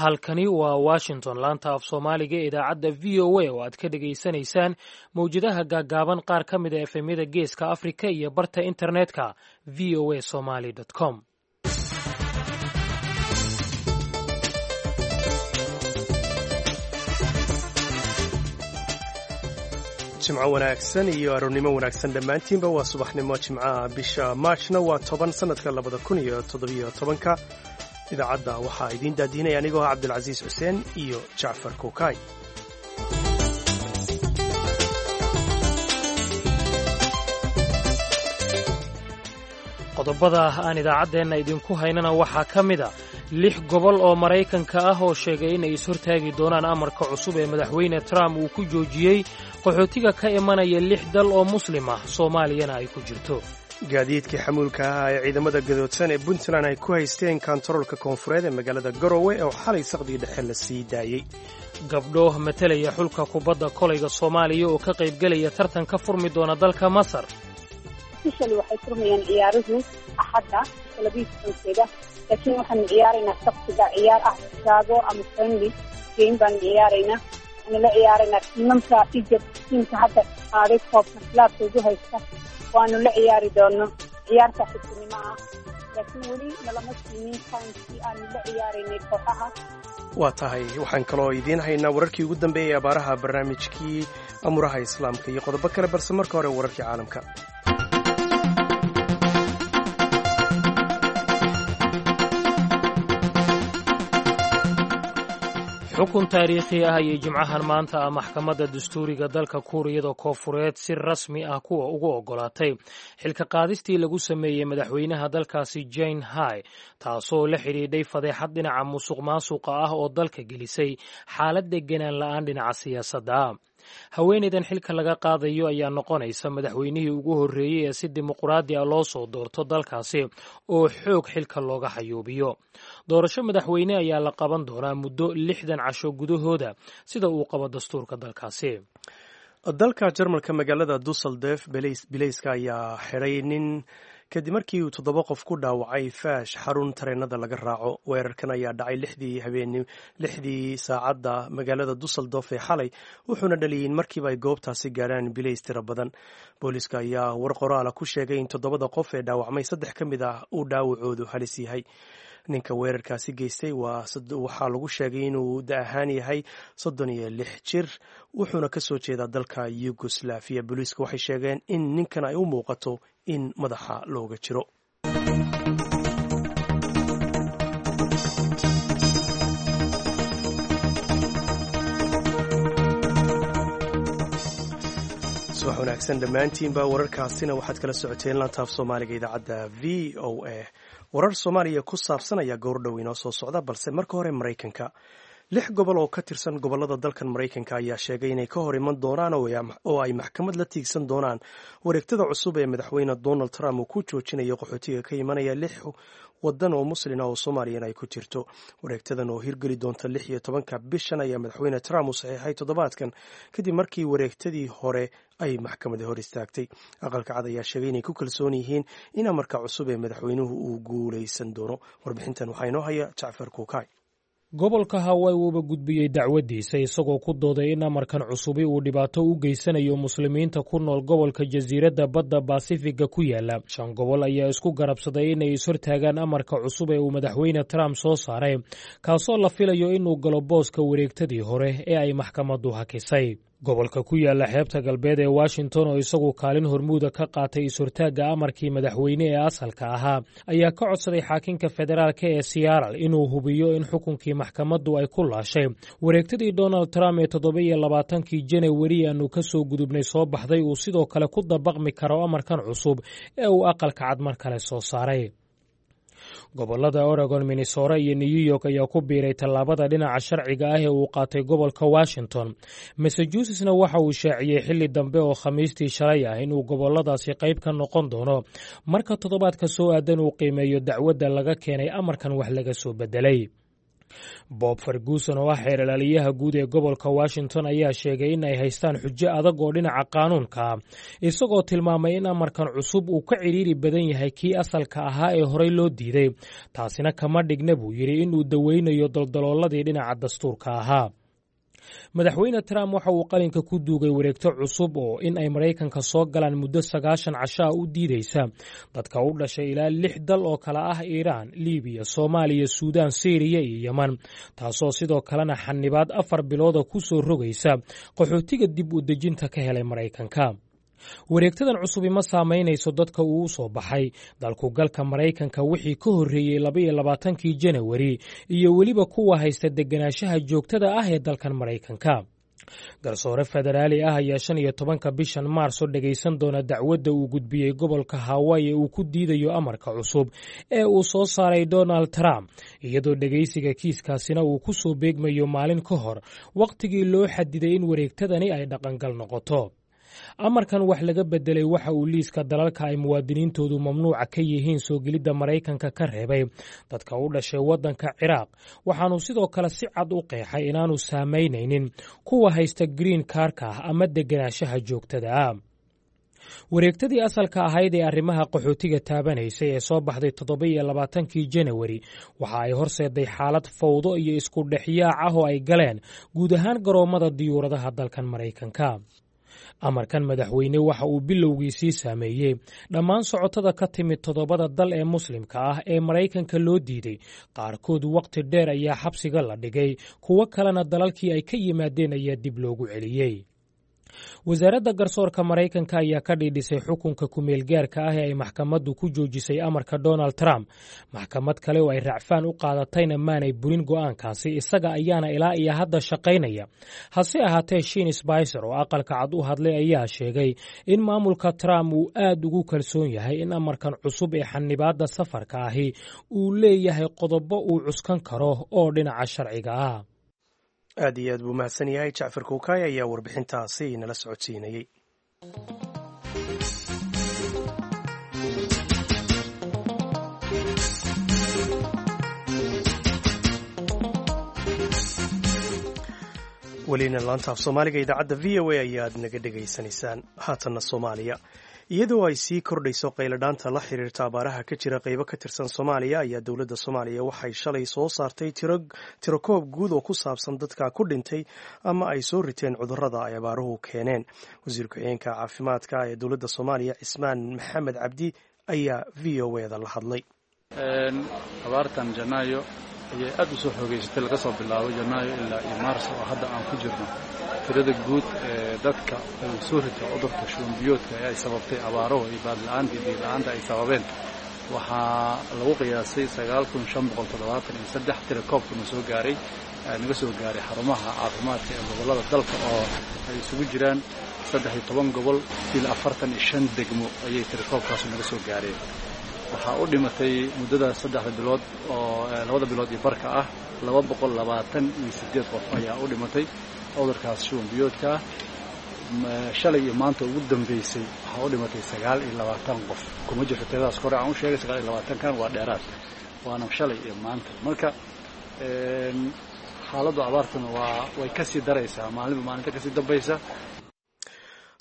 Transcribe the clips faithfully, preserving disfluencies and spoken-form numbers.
Halkani waa Washington, laanta af Soomaaliga ee idaacadda V O A oo aad ka dhegaysanaysaan mawjadaha gaaggaaban, qaar ka mid a efemyada Geeska Afrika iyo barta internetka V O A Somali com. Jimco wanaagsan iyo aroornimo wanaagsan dhammaantiinba. Waa subaxnimo jimcaha, bisha maajna waa toban, sannadka labada kun iyo toddobiyo tobanka. Idaacadda waxaa idiin daadiinaya anigoo ah Cabdilcasiis Xuseen iyo Jacfar Kukaay. Qodobada aan idaacaddeenna idinku haynana waxaa ka mid a lix gobol oo Maraykanka ah oo sheegay inay ishortaagi doonaan amarka cusub ee Madaxweyne Trump uu ku joojiyey qaxootiga ka imanaya lix dal oo muslim ah, Soomaaliyana ay ku jirto. Gaadiidkii xamuulka ahaa ee ciidamada gadoodsan ee Puntland ay ku haysteen kantaroolka koonfureed ee magaalada Garowe oo xalay saqdii dhexe la sii daayey. Gabdho matalaya xulka kubadda kolayga Soomaaliya oo ka qaybgelaya tartan ka furmi doona dalka Masar. Officially waxay furmayaan ciyaaruhu Axadda labiyo tobankeeda, laakiin waxaanu ciyaaraynaa Sabtiga ciyaar ah Chicago ama friendly game baanu ciyaaraynaa. Waxaanu la ciyaaraynaa tiimamka Egypt, tiimka hadda qaaday koobka laabka ugu haysta, waanu la ciyaari doono ciyaarta xigtinimo ah, laakiin weli nalama siinin timekii aanu la ciyaaraynay kooxaha. Waa tahay, waxaan kaloo idiin haynaa wararkii ugu dambeeyey abaaraha, barnaamijkii amuraha Islaamka iyo qodobo kale, balse marka hore wararkii caalamka. Xukun taariikhi ah ayay jimcahan maanta ah maxkamadda dastuuriga dalka Kuuriyada Koonfureed si rasmi ah kuwa ugu oggolaatay xilka qaadistii lagu sameeyey madaxweynaha dalkaasi Jane Hai, taasoo la xidhiidhay fadeexad dhinaca musuq maasuqa ah oo dalka gelisay xaalad deganaan la'aan dhinaca siyaasadda ah. Haweenaydan xilka laga qaadayo ayaa noqonaysa madaxweynihii ugu horreeyey ee si dimuqraadi ah loo soo doorto dalkaasi oo xoog xilka looga xayuubiyo. Doorasho madaxweyne ayaa la qaban doonaa muddo lixdan casho gudahooda, sida uu qabo dastuurka dalkaasi. Dalka Jarmalka, magaalada Dusseldorf, bilayska ayaa xidhay nin kadib markii uu toddoba qof ku dhaawacay faash xarun tareenada laga raaco. Weerarkan ayaa dhacay lixdii habeen, lixdii saacadda magaalada Dusseldorf ee xalay, wuxuuna dhaliyay in markiiba ay goobtaasi gaarhaan bilays tiro badan. Booliiska ayaa war qoraala ku sheegay in toddobada qof ee dhaawacmay saddex ka mid ah uu dhaawacoodu halis yahay. Ninka weerarkaasi geystay waxaa lagu sheegay inuu da ahaan yahay soddon iyo lix jir, wuxuuna ka soo jeedaa dalka Yugoslafiya. Booliiska waxay sheegeen in ninkan ay u muuqato in madaxa looga jiro. Subax wanaagsan dhammaantiinba. Wararkaasina waxaad kala socoteen lantaaf Soomaaliga idaacadda V O A. Warar Soomaaliya ku saabsan ayaa goordhow inoo soo socda, balse marka hore Maraykanka. Lix gobol oo ka tirsan gobollada dalkan Maraykanka ayaa sheegay inay ka hor iman doonaan oo ay maxkamad la tiigsan doonaan wareegtada cusub ee Madaxweyne Donald Trump uu ku joojinayo qaxootiga ka imanaya lix wadan oo muslina oo Soomaaliyana ay ku jirto. Wareegtadan oo hirgeli doonta lix iyo tobanka bishan ayaa Madaxweyne Trump uu saxiixay toddobaadkan, kadib markii wareegtadii hore ay maxkamada hor istaagtay. Aqalka Cad ayaa sheegay inay ku kalsoon yihiin in amarka cusub ee madaxweynuhu uu guulaysan doono. Warbixintan waxaa inoo haya Jacfar Kuukay. Gobolka Hawaii wuuba gudbiyey dacwaddiisa, isagoo ku dooday in amarkan cusubi uu dhibaato u geysanayo muslimiinta ku nool gobolka jasiiradda badda Basifiga ku yaala. Shan gobol ayaa isku garabsaday inay ishortaagaan amarka cusub ee uu Madaxweyne Trump soo saaray, kaasoo la filayo inuu galo booska wareegtadii hore ee ay maxkamaddu hakisay. Gobolka ku yaala xeebta galbeed ee Washington, oo isagu kaalin hormuuda ka qaatay is-hortaagga amarkii madaxweyne ee asalka ahaa, ayaa ka codsaday xaakinka federaalka ee Seattle inuu hubiyo in xukunkii maxkamaddu ay ku laashay wareegtadii Donald Trump ee toddoba iyo labaatankii Janawari aanu ka soo gudubnay soo baxday uu sidoo kale ku dabaqmi karo amarkan cusub ee uu Aqalka Cad mar kale soo saaray. Gobolada Oregon, Minnesota iyo New York ayaa ku biiray tallaabada dhinaca sharciga ah ee uu qaatay gobolka Washington. Massachusettsna waxa uu shaaciyey xilli dambe oo Khamiistii shalay ah inuu goboladaasi qayb ka noqon doono marka toddobaadka soo aadan uu qiimeeyo dacwadda laga keenay amarkan wax laga soo bedelay. Bob Ferguson oo ah xeeralaaliyaha guud ee gobolka Washington ayaa sheegay in ay haystaan xujo adag oo dhinaca qaanuunka, isagoo tilmaamay in amarkan cusub uu ka cidhiiri badan yahay kii asalka ahaa ee horey loo diiday. Taasina kama dhigna, buu yidhi, inuu daweynayo daldalooladii dhinaca dastuurka ahaa. Madaxweyne Trump waxa uu qalinka ku duugay wareegto cusub oo in ay Maraykanka soo galaan muddo sagaashan cashaa u diideysa dadka u dhashay ilaa lix dal oo kale ah Iiraan, Libiya, Soomaaliya, Suudaan, Siiriya iyo Yeman, taasoo sidoo kalena xanibaad afar bilooda ku soo rogaysa qaxootiga dib u dejinta ka helay Maraykanka. Wareegtadan cusubi ma saamaynayso dadka uu u soo baxay dalkugalka Maraykanka wixii ka horreeyey labaiyo labaatankii Janawari iyo weliba kuwa haysta deganaanshaha joogtada ah ee dalkan Maraykanka. Garsoore federaali ah ayaa shan iyo tobanka bishan Maarso dhegaysan doona dacwadda uu gudbiyey gobolka Hawaii ee uu ku diidayo amarka cusub ee uu soo saaray Donald Trump, iyadoo dhegaysiga kiiskaasina uu ku soo beegmayo maalin ka hor wakhtigii loo xadiday in wareegtadani ay dhaqangal noqoto. Amarkan wax laga bedelay waxa uu liiska dalalka ay muwaadiniintoodu mamnuuca ka yihiin soo gelidda Maraykanka ka reebay dadka u dhashay waddanka Ciraaq, waxaanu sidoo kale si cad u qeexay inaanu saamaynaynin kuwa haysta green kaarka ah ama deganaanshaha joogtada ah. Wareegtadii asalka ahayd ee arrimaha qaxootiga taabanaysay ee soo baxday toddoba-iyo labaatankii Janawari waxa ay horseeday xaalad fawdo iyo isku dhexyaac ah oo ay galeen guud ahaan garoommada diyuuradaha dalkan Maraykanka. Amarkan madaxweyne waxa uu bilowgiisii saameeyey dhammaan socotada ka timid toddobada dal ee Muslimka ah ee Maraykanka loo diiday. Qaarkood wakhti dheer ayaa xabsiga la dhigay, kuwo kalena dalalkii ay ka yimaadeen ayaa dib loogu celiyey. Wasaaradda garsoorka Maraykanka ayaa ka dhiidhisay xukunka kumeelgaarka ah ee ay maxkamaddu ku joojisay amarka Donald Trump. Maxkamad kale oo ay racfaan u qaadatayna maanay burin go'aankaasi, isaga ayaana ilaa iyo hadda shaqaynaya. Hase ahaatee, Shin Spicer oo Aqalka Cad u hadlay ayaa sheegay in maamulka Trump uu aad ugu kalsoon yahay in amarkan cusub ee xanibaadda safarka ahi uu leeyahay qodobo uu cuskan karo oo dhinaca sharciga ah. Aad iyo aad buu mahadsan yahay Jacfar Kuukaay ayaa warbixintaasi nala socodsiinayey. Welina laantaaf Soomaaliga idaacadda V O A ayaad naga dhegaysanaysaan. Haatanna Soomaaliya. Iyadoo ay sii kordhayso qayladhaanta la xiriirta abaaraha ka jira qaybo ka tirsan Soomaaliya, ayaa dowladda Soomaaliya waxay shalay soo saartay tirokoob guud oo ku saabsan dadka ku dhintay ama ay soo riteen cudurrada ay abaaruhu keeneen. Wasiir ku-xigeenka caafimaadka ee dowladda Soomaaliya, Cismaan Maxamed Cabdi, ayaa V O eda la hadlay. Abaartan Janaayo ayay aad u soo xoogeysatay, laga soo bilaabo Janaayo ilaa iyo Maarso oo hadda aan ku jirno. Tirada guud ee dadka uu soo rito cudurka shuban biyoodka ee ay sababtay abaaruhu iyo baadla-aanta iyo biyo-la-aanta ay sababeen waxaa lagu qiyaasay sagaal kun shan boqol toddobaatan iyo saddex. Tira koobkuna soo gaaray, naga soo gaaray xarumaha caafimaadka ee gobollada dalka oo ay isugu jiraan saddex iyo toban gobol ilaa afartan iyo shan degmo ayay tirakoobkaasu naga soo gaareen. Waxaa u dhimatay muddada saddexda bilood oo labada bilood iyo barka ah laba boqol labaatan iyo siddeed qof ayaa u dhimatay cudurkaas shuban biyoodka ah. Shalay iyo maanta ugu dambeysay waxaa u dhimatay sagaal iyo labaatan qof. Kuma jirto tiradaas kore aan u sheegay, sagaal iyo labaatankan waa dheeraad, waana shalay iyo maanta. Marka xaaladdu abaartuna waa way kasii daraysaa maalinba maalinta kasii dambaysa.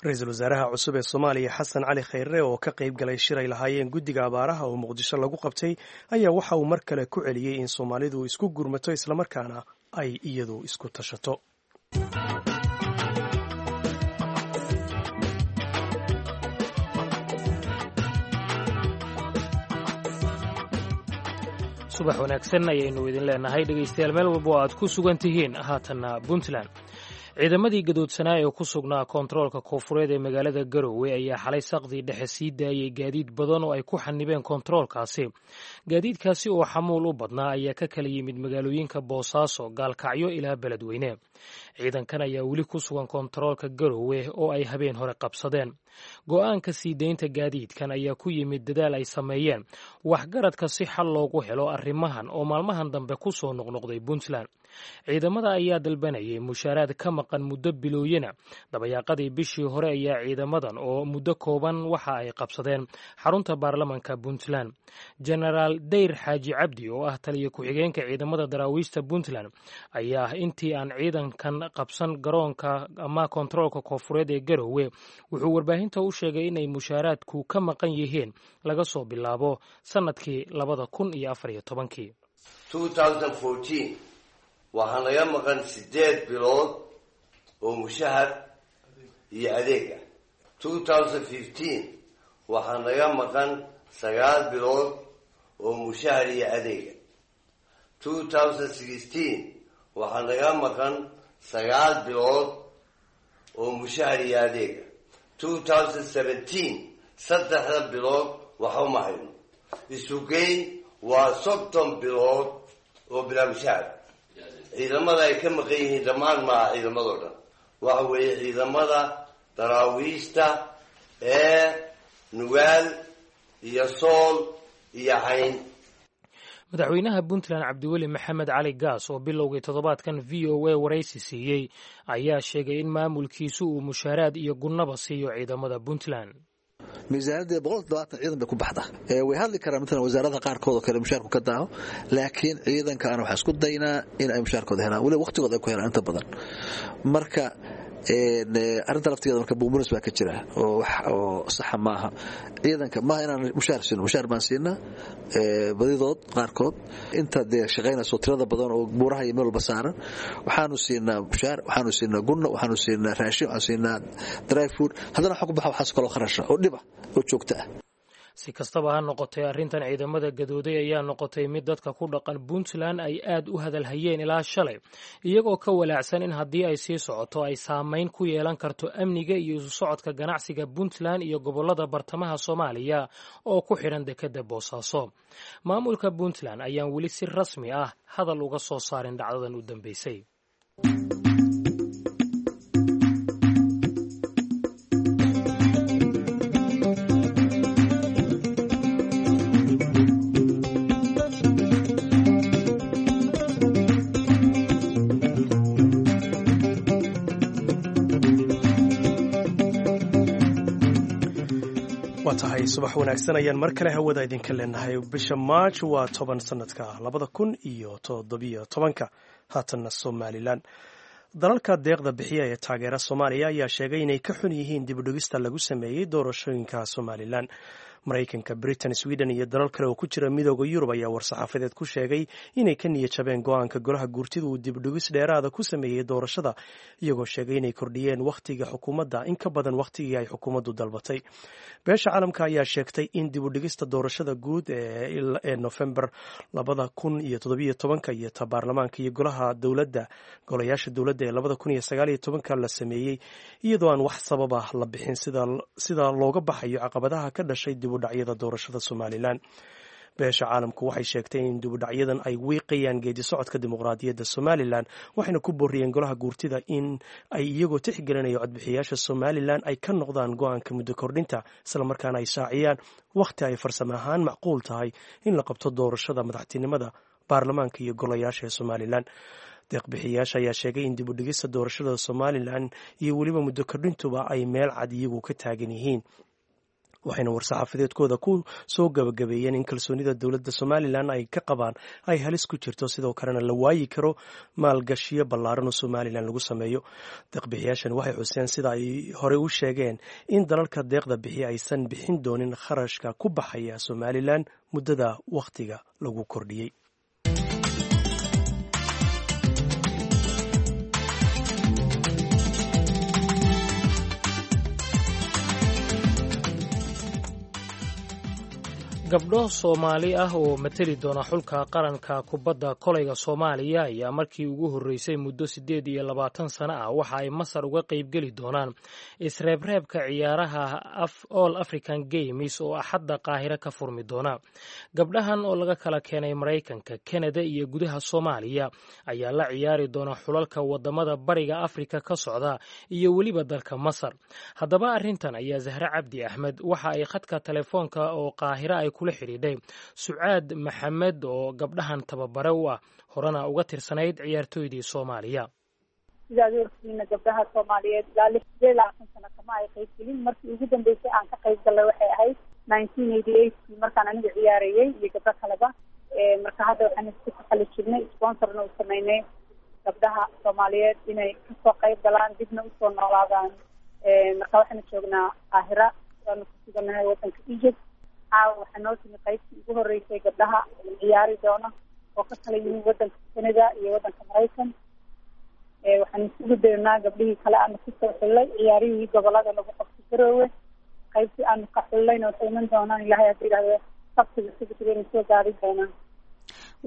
Ra-iisul wasaaraha cusub ee Soomaaliya, Xasan Cali Khayre, oo ka qayb galay shir ay lahaayeen guddiga abaaraha oo Muqdisho lagu qabtay, ayaa waxa uu mar kale ku celiyey in Soomaalidu isku gurmato islamarkaana ay iyadu isku tashato. Subax wanaagsan ayaynu idin leenahay, dhegaystayaal, meel walba oo aad ku sugan tihiin. Haatanna Puntland. Ciidamadii gadoodsanaa ee ku sugnaa koontaroolka koonfureed ee magaalada Garowe ayaa xalay saqdii dhexe sii daayey gaadiid badan oo ay ku xanibeen koontaroolkaasi. Gaadiidkaasi oo xamuul u badnaa ayaa ka kala yimid magaalooyinka Boosaaso, Gaalkacyo ilaa Beledweyne. Ciidankan ayaa weli ku sugan koontaroolka Garowe oo ay habeen hore qabsadeen. Go'aanka sii deynta gaadiidkan ayaa ku yimid dadaal ay sameeyeen waxgaradka si xal loogu helo arrimahan oo maalmahan dambe ku soo noqnoqday Puntland. Ciidamada ayaa dalbanayay mushaaraad ka maqan muddo bilooyina. Dabayaaqadii bishii hore ayaa ciidamadan oo muddo kooban waxa ay qabsadeen xarunta baarlamanka Puntland. Jenaraal Dayr Xaaji Cabdi oo ah taliya ku-xigeenka ciidamada daraawiishta Puntland ayaa intii aan ciidankan qabsan garoonka ama kontaroolka koonfureed ee Garowe wuxuu warbaahinta u sheegay inay mushaaraadku ka maqan yihiin laga soo bilaabo sannadkii labada kun iyo afar iyo tobankii. Waxaa naga maqan sideed bilood oo mushahar iyo adeeg ah. Two thousand fifteen waxaa naga maqan sagaal bilood oo mushahar iyo adeega. Two thousand sixteen waxaa naga maqan sagaal bilood oo mushahar iyo adeega. Two thousand seventeen saddexda bilood waxa uma hayno. Isugeyn waa soddon bilood oo bilaa mushahar. Ciidamada ay ka maqan yihiin dhammaan maaha, ciidamadoo dhan waxa weeye ciidamada daraawiishta ee Nugaal iyo Sool iyo Cayn. Madaxweynaha Puntland Cabdiweli Maxamed Cali Gaas oo bilowgii toddobaadkan V O A waraysi siiyey ayaa sheegay in maamulkiisu uu mushaaraad iyo gunnaba siiyo ciidamada Puntland. Miisaaniyadda boqol toddobaatan ciidan bay ku baxda. Way hadli karaan matalan wasaaradaha qaarkood oo kale mushaarku ka daaho, laakiin ciidanka ana waxaan isku daynaa in ay mushaarkooda helaan, weliba waqtigooda ay ku helaan inta badan. Marka arrinta laftigeeda marka buumunis baa ka jira oo wax oo saxa maaha. Ciidanka maaha inaan mushaar siino, mushaar baan siinaa badidood. Qaarkood inta dee shaqaynayso tirada badan oo buuraha iyo meel walba saaran waxaanu siinaa mushaar, waxaanu siinaa gunno, waxaanu siinaa raashin, waxaanu siinaa dry food. Haddana waxa ku baxa waxaas kaloo kharasha oo dhiba oo joogto ah. Si kastaba ha noqotay, arrintan ciidamada gadooday ayaa noqotay mid dadka ku dhaqan Puntland ay aad u hadalhayeen ilaa shalay, iyagoo ka walaacsan in haddii ay sii socoto ay saamayn ku yeelan karto amniga iyo isu socodka ganacsiga Puntland iyo gobollada bartamaha Soomaaliya oo ku xidhan dekedda Boosaaso. Maamulka Puntland ayaan weli si rasmi ah hadal uga soo saarin dhacdadan u dambeysay. Waa tahay, subax wanaagsan ayaan mar kale hawada idinka leenahay. Bisha Maaj waa toban sanadka labada kun iyo toddobiyo tobanka. Haatanna Somalilan. Dalalka deeqda bixiya ee taageera Soomaaliya ayaa sheegay inay ka xun yihiin dibudhigista lagu sameeyey doorashooyinka Somalilan. Maraykanka, Britain, Sweden iyo dalal kale oo ku jira Midooda Yurub ayaa war-saxaafadeed ku sheegay inay ka niyad jabeen go-aanka golaha guurtida uu dibudhigis dheeraada ku sameeyey doorashada, iyagoo sheegay inay kordhiyeen wakhtiga xukuumadda in ka badan wakhtigii ay xukuumaddu dalbatay. Beesha caalamka ayaa sheegtay in dibudhigista doorashada guud ee Nofembar labada kun iyo toddobiyo tobanka iyo ta baarlamaanka iyo golaha dowladda golayaasha dowladda ee labada kun iyo sagaaliyo tobanka la sameeyey iyadoo aan wax sababa la bixin sida looga baxayo caqabadaha ka dhashay dibudhacyada doorashada Somalilan. Beesha caalamku waxay sheegtay in dibudhacyadan ay wiiqayaan geedi socodka dimuqraadiyadda Somalilan, waxayna ku booriyeen golaha guurtida in ay iyagoo tixgelinaya codbixiyaasha Somalilan ay ka noqdaan go-aanka muddo kordhinta, islamarkaana ay shaaciyaan wakhti ay farsamo ahaan macquul tahay in la qabto doorashada madaxtinimada, baarlamaanka iyo golayaasha ee Somalilan. Deeqbixiyaasha ayaa sheegay in dibudhigista doorashada Somalilan iyo weliba muddo kordhintuba ay meel cad iyagu ka taagan yihiin, waxayna war-saxaafadeedkooda ku soo gabagabeeyeen in kalsoonida dowladda Somalilan ay ka qabaan ay halis ku jirto, sidoo kalena la waayi karo maalgashiyo ballaaran oo Somalilan lagu sameeyo. Deeqbixiyaashan waxay xuseen, sida ay horey u sheegeen, in dalalka deeqda bixiya aysan bixin doonin kharashka ku baxaya Somalilan muddada wakhtiga lagu kordhiyey. Gabdho Soomaali ah oo mateli doona xulka qaranka kubadda kolayga Soomaaliya ayaa markii ugu horreysay muddo siddeed iyo labaatan sano ah waxa ay Masar uga qaybgeli doonaan isreebreebka ciyaaraha All African Games oo Axadda Qaahire ka furmi doona. Gabdhahan oo laga kala keenay Maraykanka, Kanada iyo gudaha Soomaaliya ayaa la ciyaari doona xulalka wadamada Bariga Afrika ka socda iyo weliba dalka Masar. Haddaba arrintan ayaa Zahre Cabdi Axmed waxa ay khadka telefoonka oo Qaahire ay kula xidhiidhay Sucaad Maxamed oo gabdhahan tababare u ah, horena uga tirsanayd ciyaartooydii Soomaaliya. Sidaad ogtihiina, gabdhaha Soomaaliyeed ilaa lix sideed labaatan sano kama ay qayb gelin. Markii ugu dambeysay aan ka qayb gallay waxay ahayd nineteen eighty eightkii, markaan aniga ciyaarayay iyo gabdho kaleba. Marka hadda waxaan isku taxali jirnay, sponsorna u sameynay gabdhaha Soomaaliyeed inay kasoo qayb galaan, dibna usoo noolaadaan. Marka waxaanu joognaa Qaahira, waanu ku suganahay wadanka Egypt. Caawa waxaa noo timi qaybtii ugu horreysay gabdhaha ciyaari doona oo ka kala yimi wadanka Canada iyo wadanka Maraykan. Waxaan isugu daynaa gabdhihii kale aanu kusoo xullay ciyaarihii gobolada lagu qabto Garoowe. Qaybtii aanu ka xullayna waxay iman doonaan, Ilahay hadda yidhahdo, Sabtiga sabtigayna soo gaari doonaan.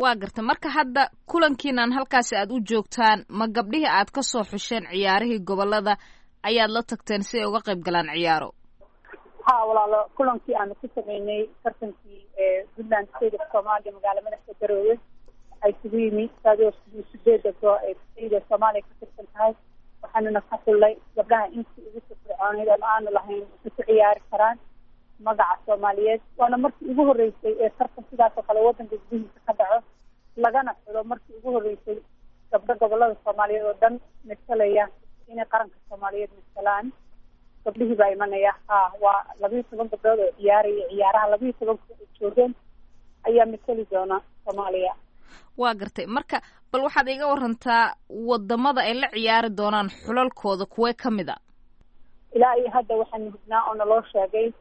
Waa garta. Marka hadda kulankiinan halkaasi aad u joogtaan, ma gabdhihii aad ka soo xusheen ciyaarihii gobolada ayaad la tagteen si ay uga qayb galaan ciyaaro? Ha walaalo, kulankii aanu ku sameynay tartankii Puntland State of Somalia, magaala madaxda Garoowe, waxaa isugu yimi sideeda goo ee state Soomaaliya ka tirsan tahay. Waxaanuna ka xullay gabdhaha intii ugu firfircooneyd ama aanu lahayn waxay ku ciyaari karaan magaca Soomaaliyeed. Waana markii ugu horreysay ee tartan sidaas oo kale wadanka gudihiisa ka dhaco, lagana xulo markii ugu horreysay gabdho gobolada Soomaaliyeed oo dhan matalaya inay qaranka Soomaaliyeed matalaan. Gabdhihii baa imanaya. Ha, waa labiyo toban gabdhood oo ciyaaraya ciyaaraha, labiyo tobanka ay joogeen ayaa matali doona Soomaaliya. Waa gartay. Marka bal waxaad iga warantaa wadamada ay la ciyaari doonaan xulalkooda, kuwee ka mid a? Ilaa iyo hadda waxaanu hubnaa oo naloo sheegay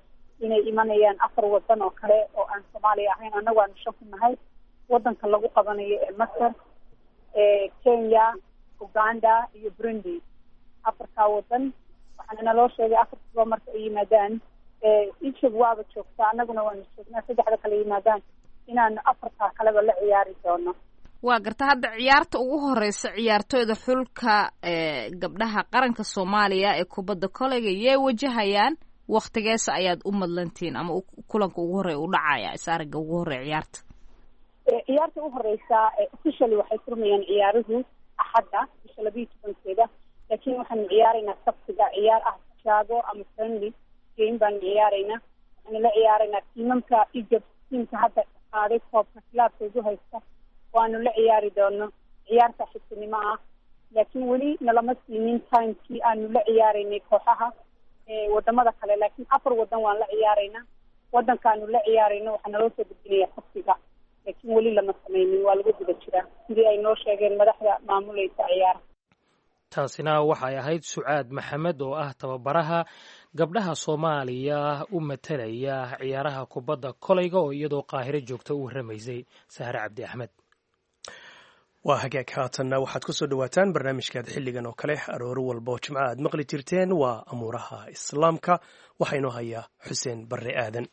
inay imanayaan afar wadan oo kale oo aan Soomaaliya ahayn. Annagu aanu shan ku nahay wadanka lagu qabanayo ee Masar: Kenya, Uganda iyo Burundi, afartaa wadan. Waxaana naloo sheegay afartaba marka ay yimaadaan, Egypt waaba joogtaa, annaguna waanu joognaa, saddexda kale yimaadaan inaanu afartaa kaleba la ciyaari doono. Waa garta. Hadda ciyaarta ugu horeysa ciyaartooyda xulka gabdhaha qaranka Soomaaliya ee kubadda koleyga yay wajahayaan? Waktigeesa ayaad u madlantihiin ama kulanka ugu horreya u dhacaya, is aragga ugu horreya ciyaarta? Ciyaarta ugu horeysa officially waxay furmayaan ciyaaruhu Axadda bisha labiiyo tobankeeda, laakiin waxaanu ciyaaraynaa Sabtiga ciyaar ah Chicago ama friendly game baanu ciyaaraynaa. Waxaanu la ciyaaraynaa tiimamka Egypt, tiimka hadda qaaday koobka kilaabka ugu haysta waanu la ciyaari doono ciyaar saaxiibtinimo ah, laakiin weli nalama siinin timekii aanu la ciyaaraynay kooxaha wadamada kale. Laakiin afar wadan waan la ciyaaraynaa. Wadankaanu la ciyaarayno waxaa naloo soo gudbinaya Sabtiga, laakiin weli lama sameynin, waa lagu guda jiraa sidii ay noo sheegeen madaxda maamuleysa ciyaaraha. Taasina waxay ahayd Sucaad Maxamed oo ah tababaraha gabdhaha Soomaaliya u matalaya ciyaaraha kubadda kolayga oo iyadoo Qaahiro joogta u warramaysay Sahre Cabdi Axmed. Waa hagaag. Haatanna waxaad ku soo dhowaataan barnaamijkaad xilligan oo kale arooro walba oo Jimco aad maqli jirteen, waa Amuuraha Islaamka. Waxaa inoo hayaa Xuseen Barre Aadan.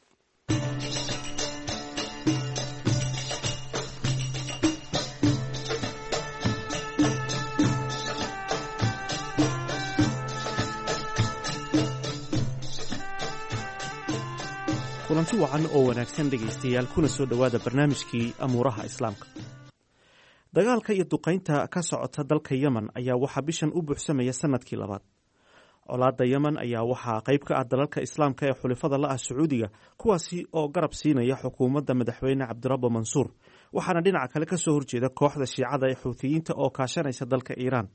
Kulanti wacan oo wanaagsan dhegaystayaal, kuna soo dhowaada barnaamijkii Amuuraha Islaamka. Dagaalka iyo duqaynta ka socota dalka Yemen ayaa waxaa bishan u buuxsamaya sanadkii labaad. Colaadda Yemen ayaa waxaa qayb ka ah dalalka Islaamka ee xulifada la ah Sacuudiga, kuwaasi oo garab siinaya xukuumadda madaxweyne Cabdirabbo Mansuur, waxaana dhinaca kale ka soo horjeeda kooxda Shiicada ee Xuutiyiinta oo kaashanaysa dalka Iiraan.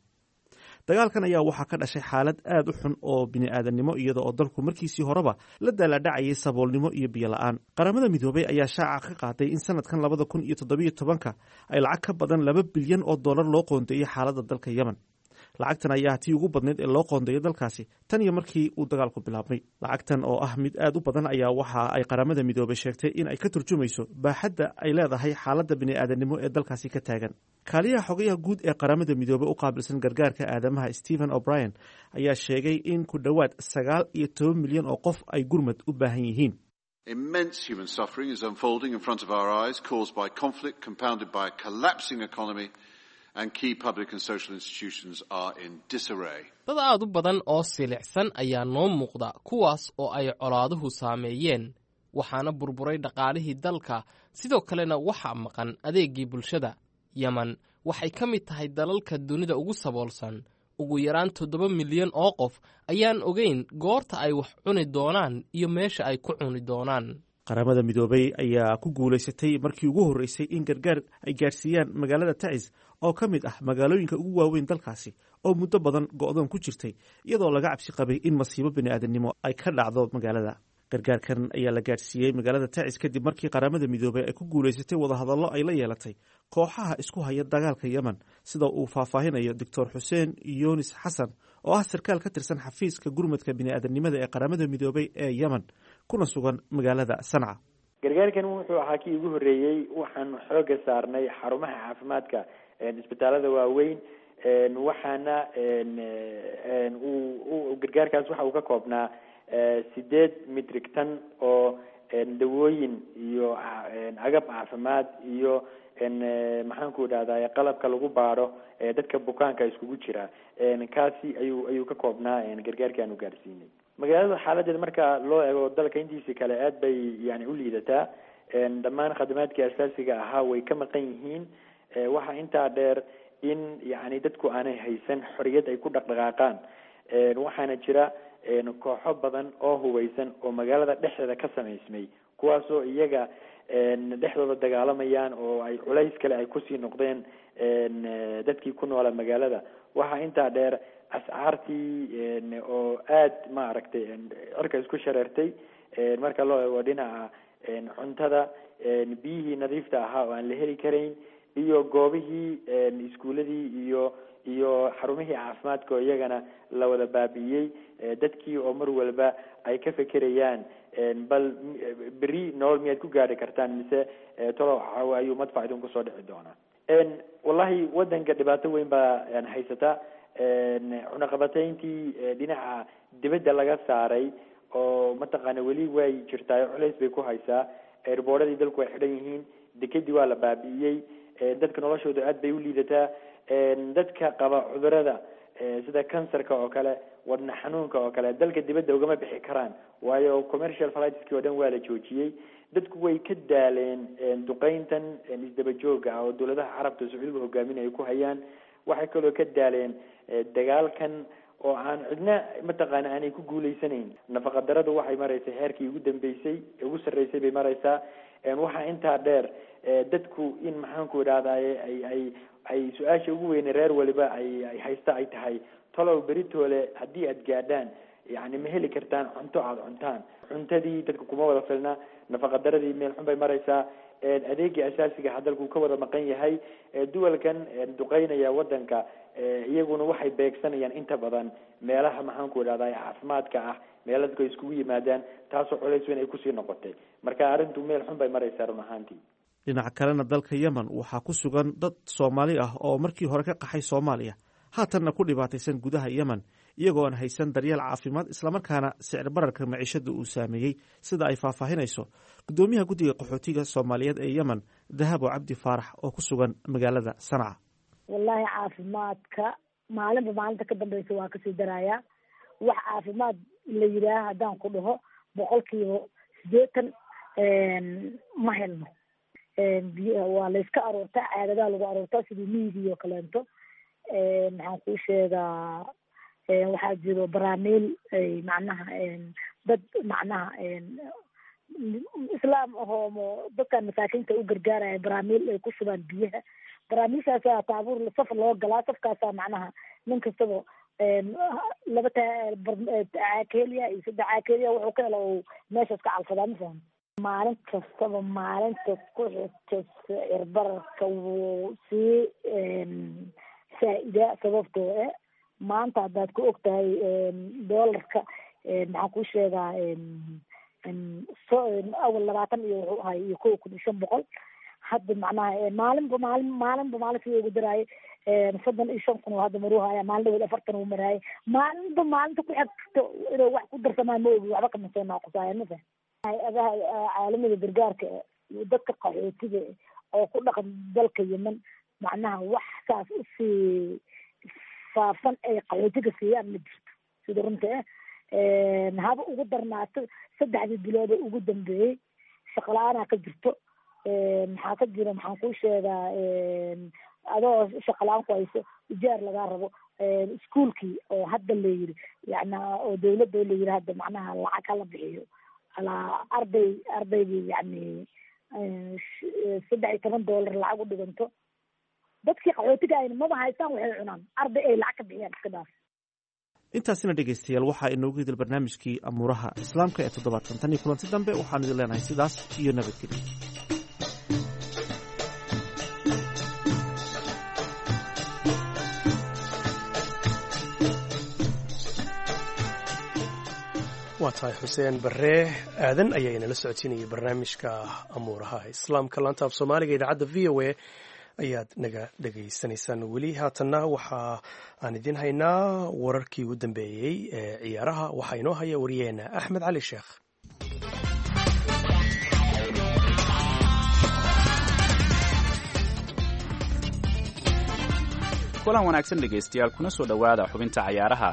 Dagaalkan ayaa waxaa ka dhashay xaalad aad u xun oo bini'aadannimo, iyada oo dalku markiisii horeba la daaladhacayay saboolnimo iyo biyo la'aan. Qaramada Midoobay ayaa shaaca ka qaaday in sanadkan labada kun iyo toddobiyo tobanka ay lacag ka badan laba bilyan oo dollar loo qoondeeyey xaaladda dalka Yemen. Lacagtan ayaa tii ugu badnayd ee loo qoondeeyo dalkaasi tan iyo markii uu dagaalku bilaabmay. Lacagtan oo ah mid aad u badan ayaa waxa ay Qaramada Midoobay sheegtay in ay ka turjumayso baaxadda ay leedahay xaaladda bini'aadanimo ee dalkaasi ka taagan. Kaaliyaha xogayaha guud ee Qaramada Midoobey u qaabilsan gargaarka aadamaha, Stephen O'Brien, ayaa sheegay in ku dhowaad sagaal iyo toban milyan oo qof ay gurmad u baahan yihiin. Immense human suffering is unfolding in front of our eyes, caused by conflict compounded by a collapsing economy, and key public and social institutions are in disarray. Dad aad u badan oo silicsan ayaa noo muuqda, kuwaas oo ay colaaduhu saameeyeen, waxaana burburay dhaqaalihii dalka, sidoo kalena waxaa maqan adeeggii bulshada. Yemen waxay ka mid tahay dalalka dunida ugu saboolsan. Ugu yaraan toddoba milyan oo qof ayaan ogeyn goorta ay wax cuni doonaan iyo meesha ay ku cuni doonaan. Qaramada Midoobay ayaa ku guulaysatay markii ugu horreysay in gargaar ay gaadhsiiyaan magaalada Tacis, oo ka mid ah magaalooyinka ugu waaweyn dalkaasi, oo muddo badan go'doon ku jirtay, iyadoo laga cabsi qabay in masiibo bini'aadamnimo ay ka dhacdo magaalada. Gargaarkan ayaa la gaadhsiiyey magaalada Tacis kadib markii Qaramada Midoobay ay ku guulaysatay wadahadallo ay la yeelatay kooxaha isku haya dagaalka Yemen, sida uu faahfaahinayo Doctor Xuseen Yunis Xasan, oo ah sarkaal ka tirsan xafiiska gurmadka bini'aadanimada ee Qaramada Midoobay ee Yemen, kuna sugan magaalada Sanca. Gargaarkan wuxuu ahaa kii ugu horreeyey. Waxaanu xooga saarnay xarumaha caafimaadka, isbitaalada waaweyn. Waxaana uu gargaarkaas waxa uu ka koobnaa sideed metric ton oo dawooyin iyo agab caafimaad iyo, maxaan ku idhahday, qalabka lagu baadho dadka bukaanka iskugu jira. Kaasi ayuu ayuu ka koobnaa gargaarkii aanu gaarsiinay magaalada. Xaaladeeda marka loo eego dalka intiisii kale, aad bay yani u liidataa. Dhammaan khadamaadkii asaasiga ahaa way ka maqan yihiin. Waxaa intaa dheer in yani dadku aanay haysan xoriyad ay ku dhaqdhaqaaqaan. Waxaana jira kooxo badan oo hubeysan oo magaalada dhexdeeda ka samaysmay, kuwaasoo iyaga dhexdooda dagaalamayaan, oo ay culays kale ay kusii noqdeen dadkii ku noolaa magaalada. Waxaa intaa dheer ascaartii oo aad, maaragtay, cirka isku shareertay marka loo eego dhinaca cuntada, biyihii nadiifta ahaa oo aan la heli karayn, iyo goobihii iskuuladii iyo iyo xarumihii caafimaadka oo iyagana la wada baabi'iyey. Dadkii oo mar walba ay ka fekerayaan, bal beri nolol miyaad ku gaadhi kartaan, mise tolow ayuu madfac idin kusoo dhici doonaa? Wallahi, wadanka dhibaato weyn baa haysata. Cunaqabatayntii dhinaca dibadda laga saaray oo mataqaana weli way jirtaa, culays bay ku haysaa. Airboorradii dalku way xidhan yihiin, dekedii waa la baabi'iyey, dadka noloshooda aad bay u liidataa. Dadka qaba cudurada sida kansarka oo kale, wadna xanuunka oo kale, dalka dibadda ugama bixi karaan, waayo commercial flightski oo dhan waa la joojiyey. Dadku way ka daaleen duqeyntan isdaba jooga ah oo dawladaha Carabta, Sacuudiga hogaaminaya, ku hayaan. Waxay kaloo ka daaleen dagaalkan oo aan cidna, mataqaana, aanay ku guuleysanayn. Nafaqa daradu waxay maraysaa heerkii ugu dambeysay, ugu sarreysay bay maraysaa. Waxaa intaa dheer dadku in, maxaan ku idhahdaye, ay ay ay su-aasha ugu weyne reer waliba ay ay haysta ay tahay, tolow beritoole haddii aad gaadhaan, yani ma heli kartaan cunto aada cuntaan? Cuntadii dadka kuma wada filna, nafaqa daradii meel xun bay maraysaa, adeegii asaasiga ha dalku ka wada maqan yahay. Duwalkan duqeynaya wadanka iyaguna waxay beegsanayaan inta badan meelaha, maxaan ku idhahdaa, caafimaadka ah, meela dadku ay iskugu yimaadaan, taasoo culays weyn ay kusii noqotay. Marka arrintu meel xun bay maraysaa run ahaantii. Dhinaca kalena, dalka Yemen waxaa ku sugan dad Soomaali ah oo markii hore ka qaxay Soomaaliya, haatanna ku dhibaataysan gudaha Yemen, iyagoo aan haysan daryeel caafimaad, islamarkaana sicir bararka maciishada uu saameeyey, sida ay faahfaahinayso guddoomiyaha guddiga qaxootiga Soomaaliyeed ee Yemen, Dahabo Cabdi Faarax, oo ku sugan magaalada Sanca. Wallaahi, caafimaadka maalinba maalinta ka dambeysa waa kasii darayaa. Wax caafimaad la yidhaaha haddaan ku dhaho, boqolkiiba sideetan ma helno. Biy waa layska aroortaa, caadadaha lagu aroortaa sidii miyigii oo kaleento. Maxaan kuu sheegaa, waxaa jiro baraamiil ay macnaha dad macnaha islaam ahoo dadkan masaakiinta u gargaaraya, baraamiil ay ku shubaan biyaha. Baraamiilshaasaa taabuur saf loo galaa, safkaasaa macnaha nin kastaba laba caakeeliya iyo saddex caakeeliya wuxuu ka helo uu meeshaas ka calfadaa. Ma fahamta? Maalin kastaba maalinta ku xigta sicir bararka wuu sii saa-idaa, sababtoo eh maanta haddaad ku og tahay doolarka, maxaan kuu sheegaa, awal labaatan iyo wuxuu ahay iyo kow kun iyo shan boqol. Hadda macnaha maalinba maalin maalinba maalin sidii ugu daraayay soddon iyo shan kun oo hadda maruu haya. Maalin dhaweed afartan uu maraayay. Maalinba maalinta ku xigto inuu wax ku darsamaa ma ogi, waxba kama soo naaqusaayan, ma fahan. Hay-adaha caalamada gargaarka dadka qaxootiga oo ku dhaqan dalka Yemen, macnaha wax saas usii faafsan ay qaxootiga siiyaan ma jirto. Sida runta ah, haba ugu darnaato saddexdii bilood ee ugu dambeeyey shaqala-aanaa ka jirto. Maxaa ka jira, maxaan kuu sheegaa, adoo shaqala-aan ku hayso, ijaar lagaa rabo, iskuolkii oo hadda la yiri, yani oo dawladda la yiri hadda macnaha lacag hala bixiyo alaa arday, ardaygii yani saddex iyo toban dollar lacag u dhiganto. Dadkii qaxootiga ayna maba haystaan waxay cunaan, arday ay lacag ka bixiyaan iska dhaaf. Intaasina dhegaystayaal waxaa inoogu idil barnaamijkii amuuraha islaamka ee toddobaadkan. Tan iyo kulanti dambe waxaan idin leenahay sidaas iyo nabadgelyo. Waa tahay, Xuseen Barre Aadan ayaa inala socodsiinayay barnaamijka amuuraha islaamka. Laanta af Soomaaliga idaacadda V O A ayaad naga dhegaysanaysaan weli. Haatanna waxa aan idiin haynaa wararkii ugu dambeeyey ee ciyaaraha. Waxaa inoo haya wariyaheena Axmed Cali Sheekh. Kulan wanaagsan dhegaystayaal, kuna soo dhowaada xubinta cayaaraha.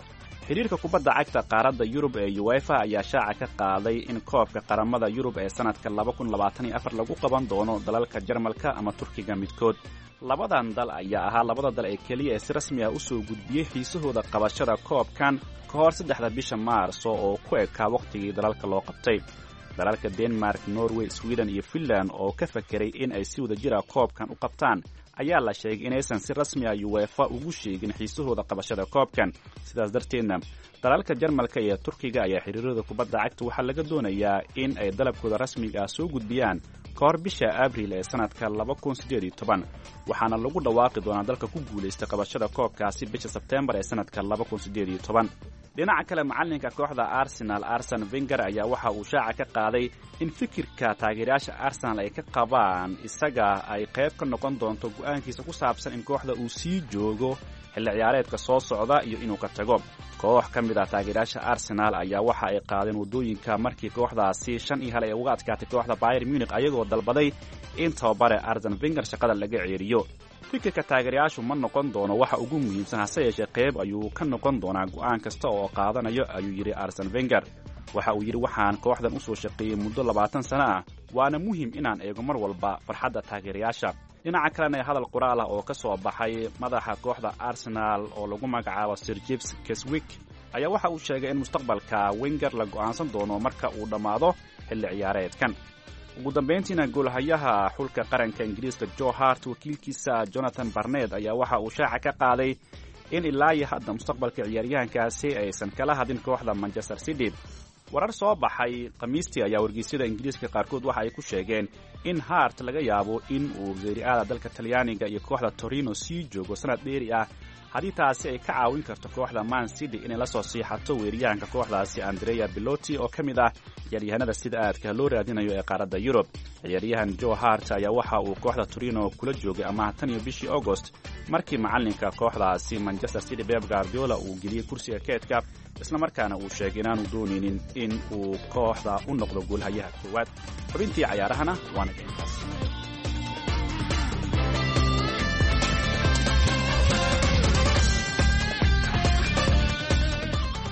Xidhiirka kubadda cagta qaaradda Yurub ee UEFA ayaa shaaca ka qaaday in koobka qaramada Yurub ee sanadka laba kun labaatan iyo afar lagu qaban doono dalalka Jarmalka ama Turkiga midkood. Labadan dal ayaa ahaa labada dal ee keliya ee si rasmi ah u soo gudbiyey xiisahooda qabashada koobkan ka hor saddexda bisha Maarso oo ku ekaa wakhtigii dalalka loo qabtay. Dalalka Denmark, Norway, Sweden iyo Finland oo ka fakeray in ay si wada jira koobkan u qabtaan ayaa la sheegay inaysan si rasmi ah UEFA ugu sheegin xiisahooda qabashada koobkan. Sidaas darteedna dalalka Jarmalka iyo Turkiga ayaa xiriirada kubadda cagta waxaa laga doonayaa in ay dalabkooda rasmiga ah soo gudbiyaan ka hor bisha Abriil ee sanadka laba kun siddeed iyo toban, waxaana lagu dhawaaqi doonaa dalka ku guulaysta qabashada koobkaasi bisha Sebteembar ee sanadka laba kun siddeed iyo toban. Dhinaca kale, macallinka kooxda Arsenal Arsen Wenger ayaa waxa uu shaaca ka qaaday in fikirka taageerayaasha Arsenal ay ka qabaan isaga ay qayb ka noqon doonto go'aankiisa ku saabsan in kooxda uu sii joogo xilli ciyaareedka soo socda iyo inuu ka tago. Koox ka mid ah taageerayaasha Arsenal ayaa waxa ay qaadeen waddooyinka markii kooxdaasi shan iyo hal ay uga adkaatay kooxda Bayern Munich, ayagoo dalbaday in tababare Arsen Wenger shaqada laga ceeriyo. Fikirka taageerayaashu ma noqon doono waxa ugu muhiimsan, hase yeeshee qayb ayuu ka noqon doonaa go'aan kasta oo qaadanayo, ayuu yidhi Arsen Wenger. Waxa uu yidhi, waxaan kooxdan u soo shaqeeyey muddo labaatan sano ah, waana muhiim inaan eego mar walba farxadda taageerayaasha. Dhinaca kalena, hadal qoraal ah oo ka soo baxay madaxa kooxda Arsenal oo lagu magacaabo Sir James Keswick ayaa waxa uu sheegay in mustaqbalka Wenger la go'aansan doono marka uu dhammaado xilli ciyaareedkan. Ugu dambayntiina, goolhayaha xulka qaranka Ingiriiska Joe Hart wakiilkiisa Jonathan Barnett ayaa waxa uu shaaca ka qaaday in ilaa iyo hadda mustaqbalka ciyaaryahankaasi aysan kala hadin kooxda Manchester City. Warar soo baxay Khamiistii ayaa wargeysyada Ingiriiska qaarkood waxa ay ku sheegeen in Hart laga yaabo in uu Serie A-da dalka Talyaaniga iyo kooxda Torino sii joogo sanad dheeri ah, haddii taasi ay ka caawin karto kooxda Man City inay la soo siixato weeriyahanka kooxdaasi Andrea Beloti oo ka mid ah ciyaaryahanada sida aadka loo raadinayo ee qaaradda Yurub. Ciyaaryahan Joe Hart ayaa waxa uu kooxda Torino kula joogay amaah tan iyo bishii Agost, markii macallinka kooxdaasi Manchester City Pep Guardiola uu geliyey kursiga keedka, islamarkaana uu sheegay inaanu doonaynin in uu kooxda u noqdo goolhayaha koowaad. Xubintii cayaarahana waana intaas.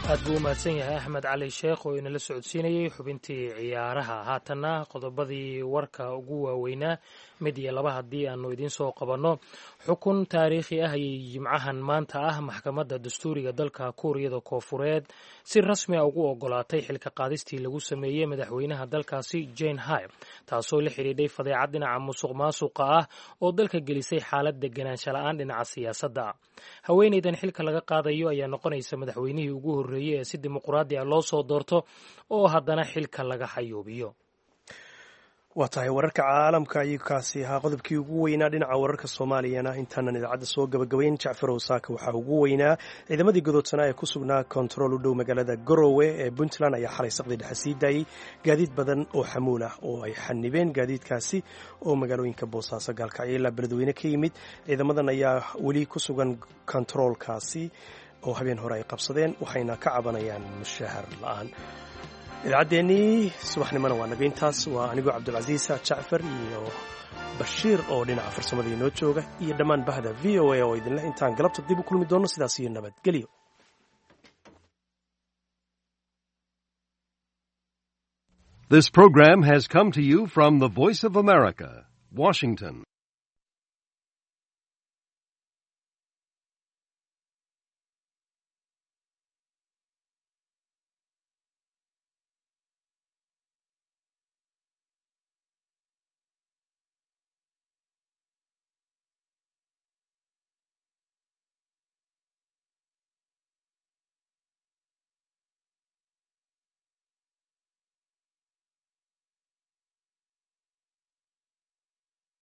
Aad buu u mahadsan yahay Axmed Cali Sheekh oo inala socodsiinayey xubintii ciyaaraha. Haatanna qodobadii warka ugu waaweynaa mid iyo laba haddii aanu idiin soo qabanno. Xukun taariikhi ah ayay Jimcahan maanta ah maxkamadda dastuuriga dalka Kuuriyada Koofureed si rasmi a ugu ogolaatay xilka qaadistii lagu sameeyey madaxweynaha dalkaasi Jane High, taasoo la xidhiidhay fadeecad dhinaca musuq maasuqa ah oo dalka gelisay xaalad deganaansha la-aan dhinaca siyaasadda. Haweeneydan xilka laga qaadayo ayaa noqonaysa madaxweynihii ugu horreeyey ee si dimuqraadi ah loo soo doorto oo haddana xilka laga xayuubiyo. Waa tahay, wararka caalamka ayuu kaasi ahaa qodobkii ugu weynaa. Dhinaca wararka Soomaaliyana, intaanan idaacadda soo gabagabayn, Jacfarow, saaka waxaa ugu weynaa ciidamadii godoodsanaa ee ku sugnaa kontarool u dhow magaalada Garowe ee Puntland ayaa xalay saqdi dhexe sii daayey gaadiid badan oo xamuul ah oo ay xanibeen, gaadiidkaasi oo magaalooyinka Boosaaso, Gaalkacyo ilaa Beledweyne ka yimid. Ciidamadan ayaa weli ku sugan kontaroolkaasi oo habeen hore ay qabsadeen, waxayna ka cabanayaan mushahar la-aan. Idaacaddeenii subaxnimona waa naga intaas. Waa anigoo Cabdulcasiis Jacfar iyo Bashiir oo dhinaca farsamada inoo jooga iyo dhammaan bahda V O A oo idinleh intaan galabta dib u kulmi doonno, sidaas iyo nabadgelyo. This program has come to you from the Voice of America, Washington.